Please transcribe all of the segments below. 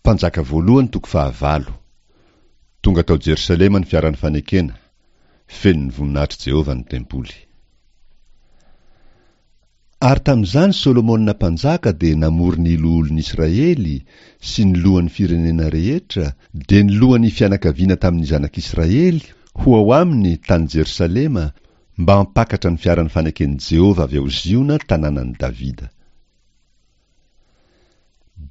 Mpanjaka voalohany toko fahavalo. Tonga tao Jerosalema ny fiaran'ny fanekena, feno ny voninahitr'i Jehovah ny tempoly. Ary tamin'izany Solomona mpanjaka dia namory ny loholon'ny Israely sy ny lohan'ny firenena rehetra, dia ny lohan'ny fianakaviana tamin'ny zanak'Israely, ho ao aminy tany Jerosalema, mba hampakatra ny fiaran'ny faneken'i Jehovah avy ao Ziona tanànan'i Davida.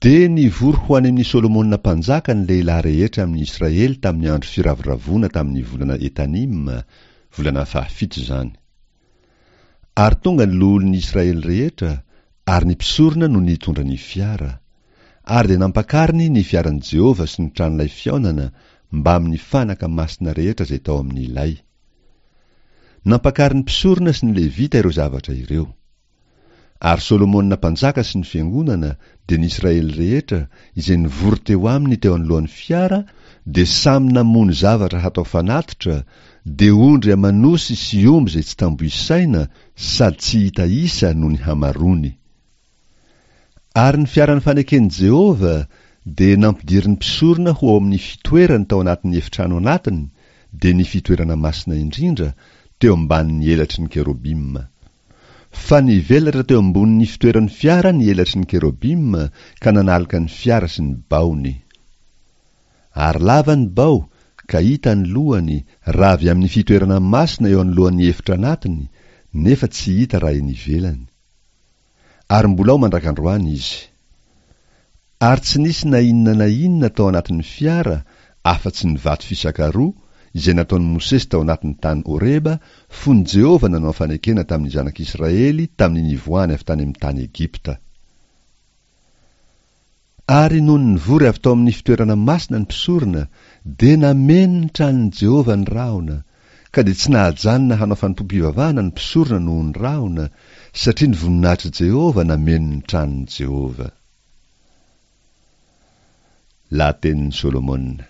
Dia nivory ho any amin'i Solomona mpanjaka ny lehilahy rehetra amin'i Israely tamin'ny andro firavoravoana tamin'ny volana Etanima, volana fahafito izany. Ary tonga ny loholon'i Israely rehetra, ary ny mpisorona no nitondra ny fiara. Ary dia nampakariny ny fiaran'i Jehovah sy ny tranolay fihaonana mbamin'ny fanaka masina rehetra izay tao amin'ny lay. Nampakarin'ny mpisorona sy ny Levita ireo zavatra ireo. Ary Solomona mpanjaka sy ny fiangonana, dia ny Israely rehetra, izay nivory teo aminy teo anoloan'ny fiara, dia samy namono zavatra hatao fanatitra, dia ondry aman'osy sy omby izay tsy tambo isaina sady tsy hita isa noho ny hamaroany. Ary ny fiaran'ny faneken'i Jehovah dia nampidirin'ny mpisorona ho ao amin'ny fitoerany tao anatin'ny efitrano anatiny, dia ny fitoerana masina indrindra, teo ambanin'ny elatry ny kerobima. Fa nivelatra teo ambonin'ny fitoeran'ny fiara ny elatry ny kerobima ka nanaloka ny fiara sy ny baony. Ary lava ny bao, ka hita ny lohany, raha avy amin'ny fitoerana masina eo anoloan'ny efitra anatiny, nefa tsy hita raha eny ivelany. Ary mbola ao mandrak'androany izy. Ary tsy nisy na inona na inona tao anatin'ny fiara afa-tsy ny vato fisaka roa izay nataon'i Mosesy tao anatin'ny tany Horeba fony Jehovah nanao fanekena tamin'ny zanak'Israely tamin'ny nivoahany avy tany amin'ny tany Egypta. Ary nony nivory avy tao amin'ny fitoerana masina ny mpisorona, dia nameno ny tranon'i Jehovah ny rahona, ka dia tsy nahajanona hanao fanompoam-pivavahana ny mpisorona noho ny rahona, satria ny voninahitr'i Jehovah nameno ny tranon'i Jehovah. Lahatenin'i Solomona.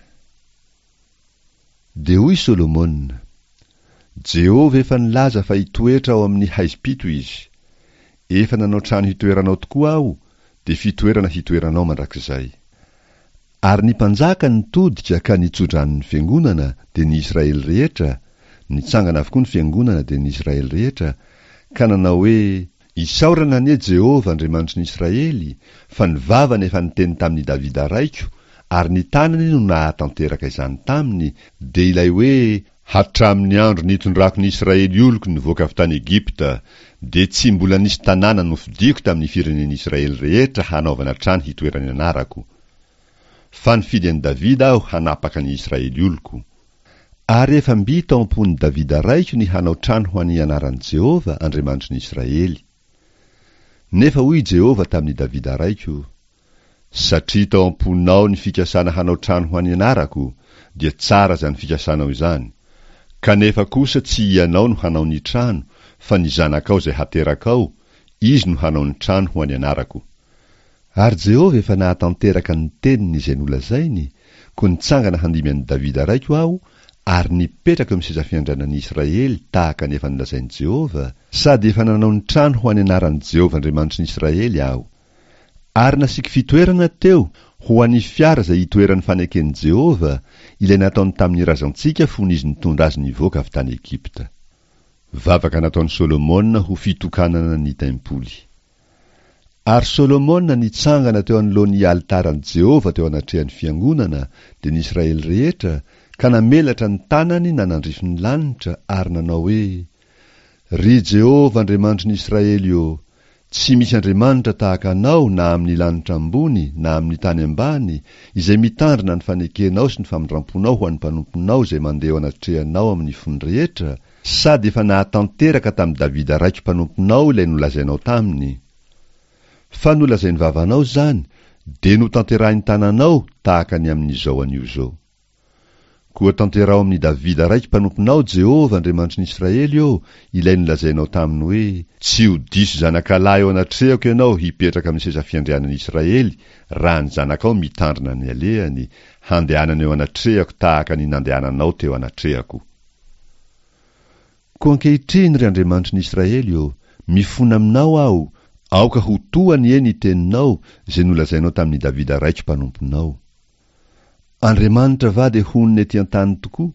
Dia hoy Solomona, Jehovah efa nilaza fa hitoetra ao amin'ny haizim-pito Izy. Efa nanao trano hitoeranao tokoa Aho, dia fitoerana hitoeranao mandrakizay. Ary ny mpanjaka nitodika ka nitso-drano ny fiangonana, dia ny Israely rehetra, nitsangana avokoa ny fiangonana, dia ny Israely rehetra, ka nanao hoe, Isaorana anie Jehovah Andriamanitry ny Israely, fa ny vavany efa niteny tamin'i Davida raiko, ary ny tanany no nahatanteraka izany taminy, dia ilay hoe, Hatramin'ny andro nitondrako ny Israely oloko nivoaka avy tany Egypta, dia tsy mbola nisy tanàna nofidiko tamin'ny firenen'Israely rehetra hanaovana trano hitoeran'ny anarako. Fa nifidy an'i Davida aho hanapaka ny Israely oloko. Ary efa mby tao am-pon'i Davida raiko ny hanao trano ho an'ny anaran'i Jehovah, Andriamanitry ny Israely. Nefa hoy i Jehovah tamin'i Davida raiko, Satria tao am-ponao ny fikasana hanao trano ho an'ny anarako, dia tsara izany fikasanao izany. Kanefa kosa tsy ianao no hanao ny trano, fa ny zanakao izay haterakao, izy no hanao ny trano ho an'ny anarako. Ary Jehovah efa nahatanteraka ny teniny izay nolazainy, koa nitsangana handimby an'i Davida raiko aho, ary nipetraka eo amin'ny seza fiandrianan'i Israely tahaka ny efa nolazain'i Jehovah, sady efa nanao ny trano ho an'ny anaran'i Jehovah Andriamanitry ny Israely aho. Ary nasiako fitoerana teo ho an'ny fiara izay itoeran'ny faneken'i Jehovah, ilay nataony tamin'ny razantsika fony izy nitondra azy nivoaka avy tany Egypta. Vavaka nataon'i Solomona ho fitokanana ny tempoly. Ary Solomona nitsangana teo anoloan'ny alitaran'i Jehovah teo anatrehan'ny fiangonana, dia ny Israely rehetra, ka namelatra ny tanany nanandrify ny lanitra ary nanao hoe, Ry Jehovah Andriamanitry ny Israely ô, tsy misy Andriamanitra tahaka Anao na amin'ny lanitra ambony na amin'ny tany ambany, izay mitandrina ny fanekenao sy ny famindramponao ho an'ny mpanomponao izay mandeha eo anatrehanao amin'ny fony rehetra, Sady efa nahatanteraka tamin'i Davida raiko mpanomponao ilay nolazainao taminy. Fa nolazain'ny vavanao izany, dia notanterahin'ny tananao tahaka ny amin'izao anio izao. Koa tanteraho amin'i Davida raiko mpanomponao, Jehovah, Andriamanitry ny Israely ô, ilay nolazainao taminy hoe, Tsy ho diso zanakalahy eo anatrehako ianao hipetraka amin'ny seza fiandrianan'i Israely, raha ny zanakao mitandrina ny alehany, handehanany eo anatrehako tahaka ny nandehananao teo anatrehako. Koa ankehitriny, ry Andriamanitry ny Israely ô, mifona aminao aho, aoka ho to anie ny teninao izay nolazainao tamin'i Davida raiko mpanomponao. Andriamanitra va dia honina ety an-tany tokoa?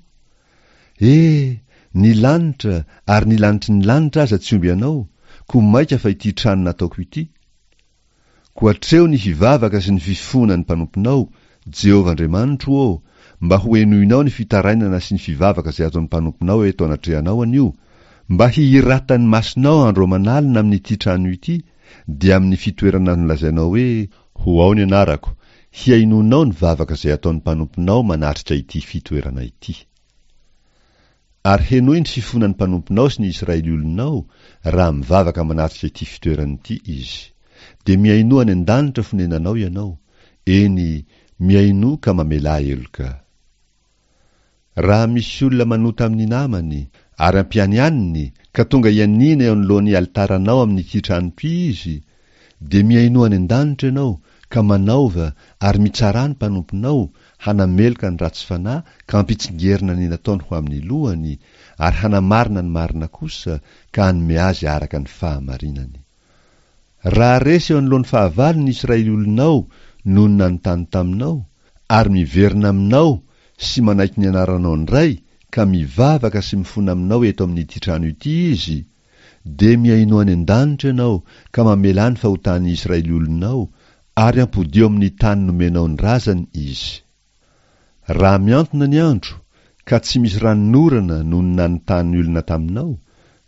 E! Ny lanitra ary ny lanitry ny lanitra aza tsy omby anao, koa mainka fa ity trano nataoko ity? Koa atreho ny hivavaka sy ny fifohana ny mpanomponao, Jehovah Andriamanitro ô, mba ho henoinao ny fitarainana sy ny fivavaka izay ataon'ny mpanomponao eto anatrehanao anio, mba hihiratan'ny masonao andro aman'alina amin'ity trano ity, dia amin'ny fitoerana nolazainao hoe, Ho ao ny anarako, hihainoanao ny vavaka izay ataon'ny mpanomponao manatrika ity fitoerana ity. Ary henoy ny fifonan'ny mpanomponao sy ny Israely olonao, raha mivavaka manatrika ity fitoerana ity izy. Dia mihainoa any an-danitra fonenanao ianao, eny, mihainoa ka mamelà heloka. Raha misy olona manota amin'ny namany, ary ampianianiny, ka tonga hianiana eo anoloan'ny alitaranao amin'ity trano ity izy, dia mihainoa any an-danitra ianao, ka manaova ary mitsarà ny mpanomponao, hanameloka ny ratsy fanahy ka hampitsingerina ny nataony ho amin'ny lohany, ary hanamarina ny marina kosa, ka hanome azy araka ny fahamarinany. Raha resy eo anoloan'ny fahavalo ny Israely olonao noho ny nanontany taminao, ary miverina aminao sy manaiky ny anaranao indray ka mivavaka sy mifona aminao eto amin'ity trano ity izy, dia mihainoa any an-danitra ianao ka mamelà ny fahotan'ny Israely olonao, ary ampodio amin'ny tany nomenao ny razany izy. Raha mihantona ny andro, ka tsy misy ranonorana noho ny nanontany olona taminao,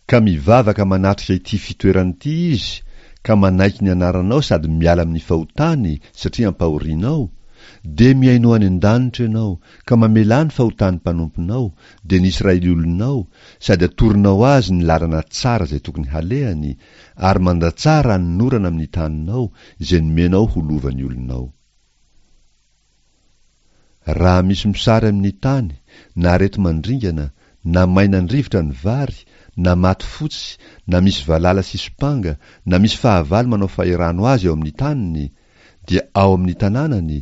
ka mivavaka manatrika ity fitoerana ity izy, ka manaiky ny anaranao sady miala amin'ny fahotany satria ampahorianao, dia mihainoa any an-danitra ianao, ka mamelà ny fahotan'ny mpanomponao, dia ny Israely olonao, sady atoronao azy ny lalana tsara izay tokony halehany, ary mandatsaha ranonorana amin'ny taninao, izay nomenao ho lovan'ny olonao. Raha misy mosary amin'ny tany, na areti-mandringana, na mainan-drivotra ny vary, na maty fotsy, na misy valala sy sompanga, na misy fahavalo manao fahirano azy ao amin'ny taniny, dia ao amin'ny tanànany,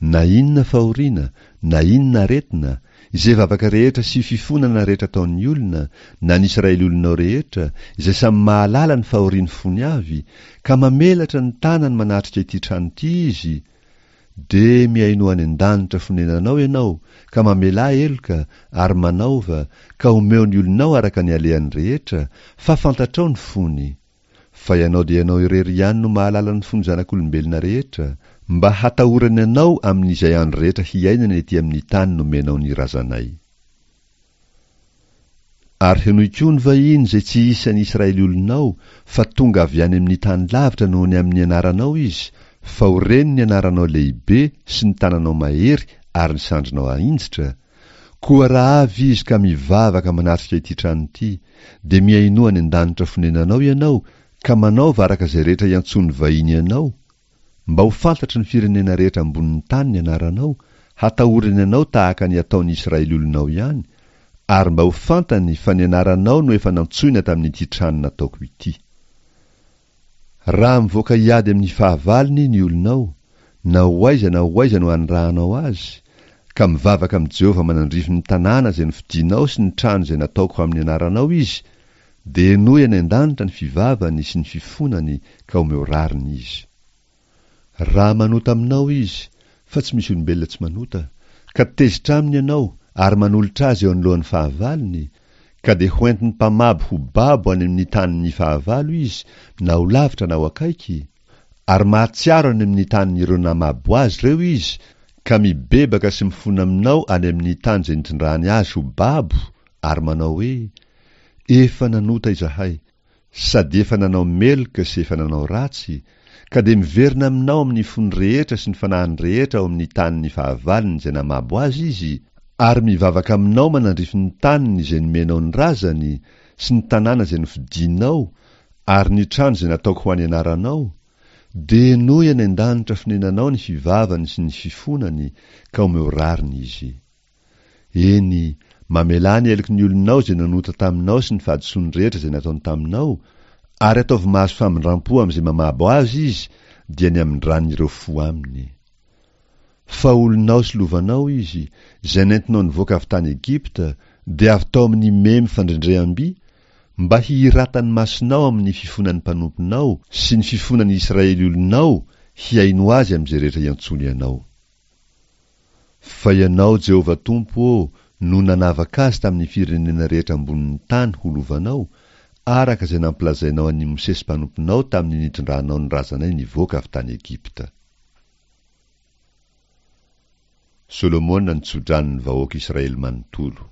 na inona fahoriana, na inona aretina, izay vavaka rehetra sy fifonana rehetra ataon'ny olona, na ny Israely olonao rehetra, izay samy mahalala ny fahorian'ny fony avy, ka mamelatra ny tanany manatrika ity trano ity izy, Dia mihainoa any an-danitra fonenanao ianao, ka mamelà heloka, ary manaova, ka omeo ny olonao araka ny alehany rehetra, fa fantatrao ny fony. Fa ianao dia ianao irery ihany no mahalala ny fon'ny zanak'olombelona rehetra, mba hatahorany anao amin'izay andro rehetra hiainany ety amin'ny tany nomenao ny razanay. Ary henoy koa ny vahiny izay tsy isan'ny Israely olonao, fa tonga avy any amin'ny tany lavitra noho ny amin'ny anaranao izy, fa ho reny ny anaranao lehibe sy ny tananao mahery ary ny sandrinao ahinjitra, koa raha avy izy ka mivavaka manatrika ity trano ity, dia mihainoa any an-danitra fonenanao ianao, ka manaova araka izay rehetra iantsoan'ny vahiny anao, Mba ho fantatry ny firenena rehetra ambonin'ny tany ny anaranao, hatahorany anao tahaka ny ataon'ny Israely olonao ihany, ary mba ho fantany fa ny anaranao no efa nantsoina tamin'ity trano nataoko ity. Raha mivoaka hiady amin'ny fahavalony ny olonao, na ho aiza na ho aiza no anirahanao azy, ka mivavaka amin'i Jehovah manandrify ny tanàna izay nofidinao sy ny trano izay nataoko amin'ny anaranao izy, Dia henoy any an-danitra ny fivavany sy ny fifonany ka omeo rariny izy. Raha manota aminao izy, fa tsy misy olombelona tsy manota, ka tezitra aminy ianao ary manolotra azy eo anoloan'ny fahavalony, ka dia hoentin'ny mpamabo ho babo any amin'ny tanin'ny fahavalo izy, na ho lavitra na ho akaiky, ary mahatsiaro any amin'ny tanin'ireo namabo azy ireo izy, ka mibebaka sy mifona aminao any amin'ny tany izay nitondrany azy ho babo, ary manao hoe, Efa nanota izahay, sady efa nanao meloka sy efa nanao ratsy, ka dia miverina aminao amin'ny fony rehetra sy ny fanahiny rehetra ao amin'ny tanin'ny fahavalony izay namabo azy izy, ary mivavaka aminao manandrify ny taniny izay nomenao ny razany, sy ny tanàna izay nofidinao, ary ny trano izay nataoko ho an'ny anaranao, dia henoy any an-danitra fonenanao ny fivavany sy ny fifonany, ka omeo rariny izy. Eny, mamelà ny heloky ny olonao izay nanota taminao sy ny fahadisoany rehetra izay nataony taminao, ary ataovy mahazo famindram-po amin'izay mamabo azy izy, dia ny hamindran'ireo fo aminy. Fa olonao sy lovanao izy, izay nentinao nivoaka avy tany Egypta, dia avy tao amin'ny memy fandrendreham-by, mba hihiratan'ny masonao amin'ny fifonan'ny mpanomponao sy ny fifonan'ny Israely olonao hihaino azy amin'izay rehetra iantsoany anao. Fa Ianao, Jehovah Tompo ô, no nanavaka azy tamin'ny firenena rehetra ambonin'ny tany ho lovanao, araka izay nampilazainao an'i Mosesy mpanomponao tamin'ny nitondranao ny razanay nivoaka avy tany Egypta. Solomona nitso-drano ny vahoaka Israely manontolo.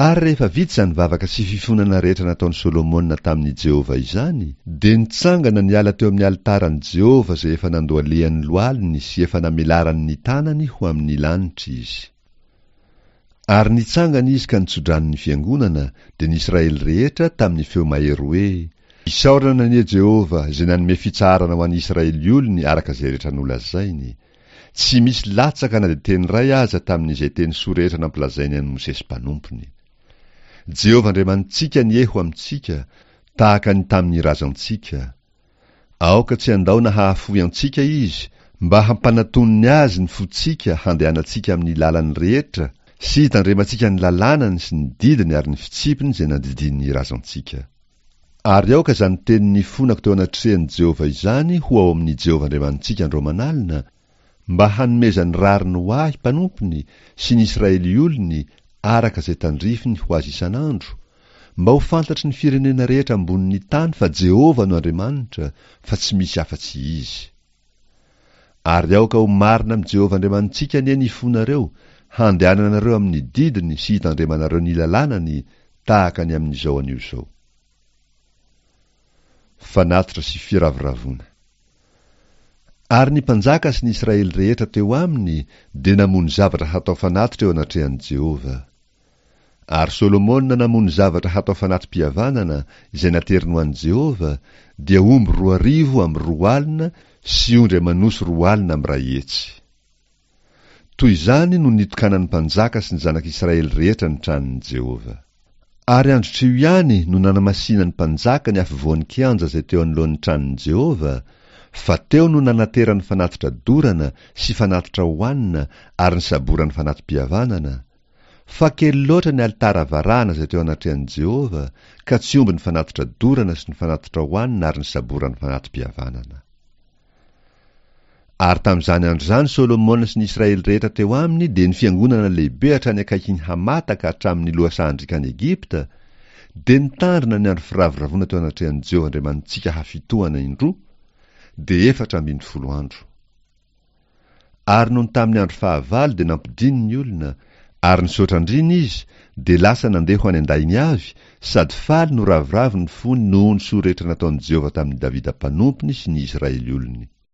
Ary rehefa vita izany vavaka sy fifonana rehetra nataon'i Solomona tamin'i Jehovah izany, dia nitsangana niala teo amin'ny alitaran'i Jehovah izay efa nandohalehany lohaliny sy efa namelarany ny tanany ho amin'ny lanitra izy. Ary nitsangana izy ka nitso-drano ny fiangonana, dia ny Israely rehetra, tamin'ny feo mahery hoe, Isaorana anie Jehovah, izay nanome fitsaharana ho an'ny Israely olony araka izay rehetra nolazainy. Tsy misy latsaka na dia teny iray aza tamin'izay teny soa rehetra nampilazainy an'i Mosesy mpanompony. Jehovah Andriamanitsika anie ho amintsika, tahaka ny tamin'ny razantsika. Aoka tsy handao na hahafoy antsika Izy, mba hampanatoniny Azy ny fontsika handehanantsika amin'ny lalany rehetra sy hitandremantsika ny lalànany sy ny didiny ary ny fitsipiny izay nandidian'ny razantsika. Ary aoka izany teny nifonako teo anatrehan'i Jehovah izany ho ao amin'i Jehovah Andriamanitsika andro aman'alina, mba hanomezany rariny ho ahy mpanompony sy ny Israely olony araka izay tandrifiny ho azy isan'andro, mba ho fantatry ny firenena rehetra ambonin'ny tany fa Jehovah no Andriamanitra, fa tsy misy afa-tsy Izy. Ary aoka ho marina amin'i Jehovah Andriamanitsika anie ny fonareo, handehananareo amin'ny didiny sy hitandremanareo ny lalànany tahaka ny amin'izao anio izao. Fanatitra sy firavoravoana. Ary ny mpanjaka sy ny Israely rehetra teo aminy dia namono zavatra hatao fanatitra eo anatrehan'i Jehovah. Ary Solomona namono zavatra hatao fanati-pihavanana izay nateriny ho an'i Jehovah, dia omby 200 amby 20 sy ondry aman'osy 20 amby 100. Toy izany no nitokanan'ny mpanjaka sy ny zanak'Israely rehetra ny tranon'i Jehovah. Ary androtr'io ihany no nanamasinan'ny mpanjaka ny afovoan'ny kianja izay teo anoloan'ny tranon'i Jehovah, fa teo no nanaterany fanatitra dorana sy fanatitra hohanina ary ny saboran'ny fanati-pihavanana, Fa kely loatra ny alitara varahana izay teo anatrehan'i Jehovah, ka tsy omby ny fanatitra dorana sy ny fanatitra hohanina ary ny saboran'ny fanati-pihavanana. Ary tamin'izany andro izany Solomona sy ny Israely rehetra teo aminy dia ny fiangonana lehibe hatrany akaikin'i Hamata ka hatramin'ny lohasahan-driakan'i Egypta, dia nitandrina ny andro firavoravoana teo anatrehan'i Jehovah Andriamanitsika hafitohana indroa, dia 14 andro. Ary nony tamin'ny andro fahavalo dia nampidiny ny olona, ary nisaotra andriana izy, dia lasa nandeha ho any an-dainy avy, sady faly no ravoravo ny fony noho ny soa rehetra nataon'i Jehovah tamin'i Davida mpanompony sy ny Israely olony.